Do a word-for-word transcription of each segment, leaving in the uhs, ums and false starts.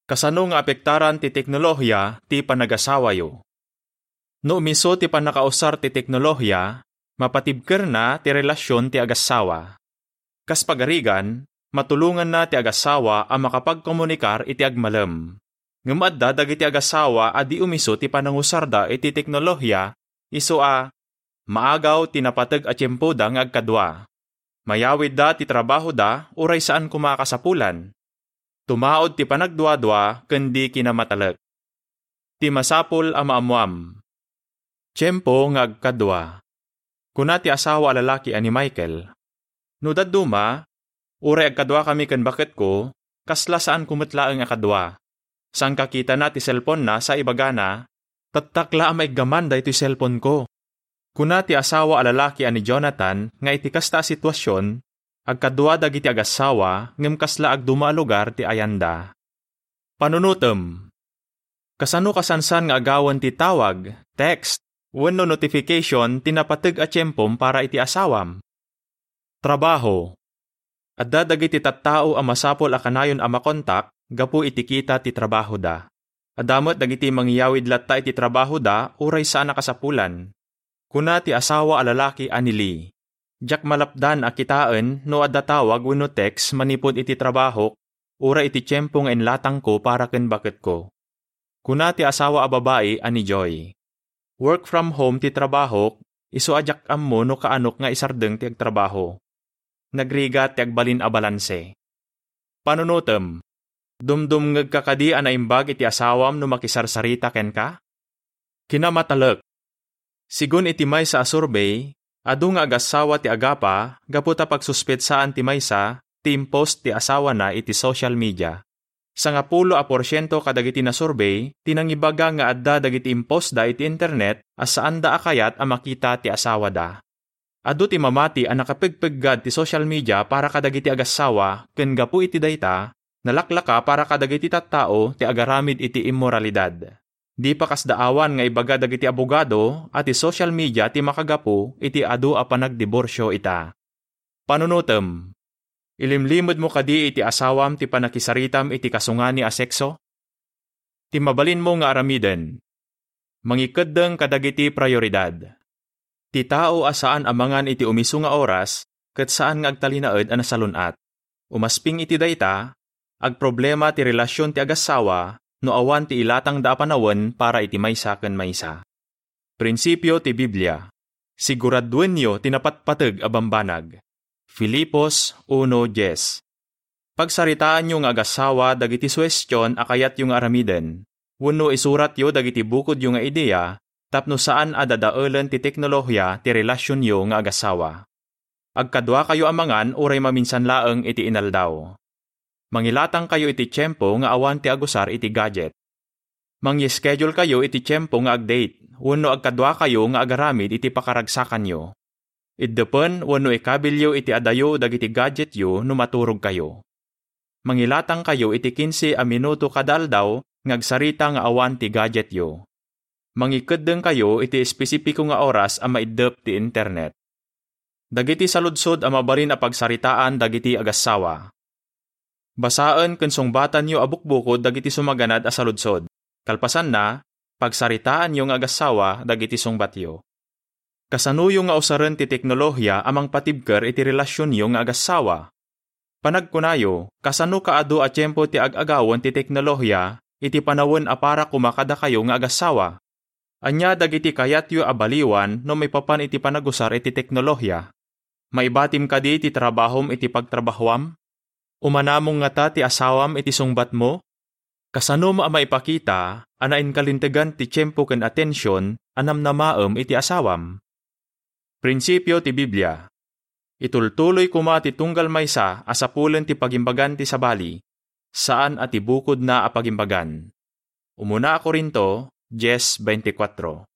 Kasano nga apektaran ti teknolohiya ti panagasawayo? No umiso ti pannakausar ti teknolohiya, mapatibkerna ti relasion ti agassawa. Kas pagarigan, matulonganna ti agassawa a makapagkomunikar iti agmalem. Ngem adda dagiti agassawa a di umiso ti panangusarda iti teknolohiya, isu a maagaw ti napateg a tiempoda nga agkadua. Mayawidda ti trabahoda uray saan koma a kasapulan. Tumaud ti panagduadua ken di kinamatalek. Ti masapul a maammoam. Tiempo nga agkadua. Kuna ti asawa a lalaki a ni Michael, "No dadduma, uray agkaduakami ken baketko, kasla saanko met laeng a kadua." Sangkakitana ti selponna sa ibagana, "Tattak la a maiggaman daytoy selponko." Kuna ti asawa a lalaki a ni Jonathan nga iti kasta a situasion, agkadua dagiti agassawa ngem kasla agduma a lugar ti ayanda. Panunotem. Kasano kasansan nga agawen ti tawag, text, wenno notification ti napateg a tiempom para iti asawam? Trabaho. Adda dagiti tattao a masapul a kanayon a makontak gapu iti kita ti trabahoda. Adda met dagiti mangiyawid latta iti trabahoda uray saan a kasapulan. Kuna ti asawa a lalaki a ni Lee, "Diak malapdan a kitaen no adda tawag wenno text manipud iti trabahok uray iti tiempo nga inlatangko para ken baketko." Kuna ti asawa a babai a ni Joy, "Work from home ti trabahok, isu a diak ammo no kaanok nga isardeng ti agtrabaho. Nagrigat ti agbalin a balanse." Panunotem. Dumdumngegka kadi a naimbag iti asawam no makisarsarita kenka? Kinamatalek. Sigun iti maysa a survey, adu nga agassawa ti agapa gapu ta pagsuspetsaan ti maysa ti impost ti asawana iti social media. Sangapulo a porsiento kadagiti nasurvey ti nangibaga nga adda dagiti impostda iti internet a saanda a kayat a makita ti asawada. Adu ti mamati a nakapegpeggad ti social media para kadagiti agassawa ken gapu iti dayta, nalaklaka para kadagiti tattao ti agaramid iti immoralidad. Di pa kasdaawan nga ibaga dagiti abogado a ti social media ti makagapu iti adu a panagdiborsio ita. Panunotem. Ilimlimedmo kadi iti asawam ti pannakisaritam iti kasungani a sekso? Ti mabalinmo nga aramiden. Mangikeddeng kadagiti prioridad. Ti tao a saan a mangan iti umiso nga oras ket saan nga agtalinaed a nasalun-at. Umasping iti dayta, agproblema ti relasion ti agassawa no awan ti ilatangda a panawen para iti maysa ken maysa. Prinsipio ti Biblia. Siguraduenyo ti napatpateg a bambanag. Filipos uno dies. Pagsaritaanyo nga agassawa dagiti suhestion a kayatyo nga aramiden, wenno isuratyo dagiti bukodyo nga idea tapno saan a dadaelen ti teknolohiya ti relasionyo nga agassawa. Agkaduakayo a mangan uray maminsan laeng iti inaldaw. Mangilatangkayo iti tiempo nga awan ti agusar iti gadget. Mangi-schedulekayo iti tiempo nga ag-date wenno agkaduakayo nga agaramid iti pakaragsakanyo. Iddepen wenno ikabilyo iti adayo dagiti gadgetyo no maturogkayo. Mangilatangkayo iti kinse a minuto kada aldaw nga agsarita nga awan ti gadgetyo. Mangikeddengkayo iti espesipiko nga oras a maiddep ti internet. Dagiti saludsod a mabalin a pagsaritaan dagiti agassawa. Basaen ken sungbatanyo a bukbukod dagiti sumaganad a saludsod. Kalpasanna, pagsaritaanyo nga agassawa dagiti sungbatyo. Kasanoyo nga usaren ti teknolohiya a mangpatibker iti relasionyo nga agassawa? Panagkunayo, kasano kaadu a tiempo ti ag-agawen ti teknolohiya iti panawen a para koma kadakayo nga agassawa? Ania dagiti kayatyo a baliwan no maipapan iti panagusar iti teknolohiya? Maibatim kadi ti trabahom iti pagtrabahoam? Umanamong ngata ti asawam iti sungbatmo? Kasanom a maipakita a nainkalintegan ti tiempo ken atension a namnamaem iti asawam? Prinsipio ti Biblia. Itultuloy koma ti tunggal maysa a sapulen ti pagimbagan ti sabali, saan a ti bukodna a pagimbagan. Umuna a Corinto dies veinticuatro.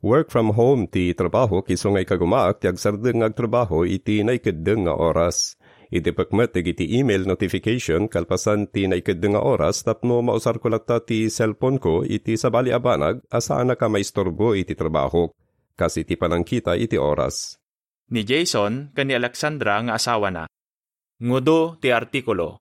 Work from home ti trabahok isu nga ikagumaak ti agsardeng nga agtrabaho iti naikeddeng nga oras. Idepek met dagiti email notification kalpasan ti naikeddeng nga oras tapno mausarko latta ti cellphone-ko iti sabali a banag a saanak a maisturbo iti trabahok, kas iti panangkita iti oras. Ni Jason ken ni Alexandra nga asawana. Ngudo ti artikulo.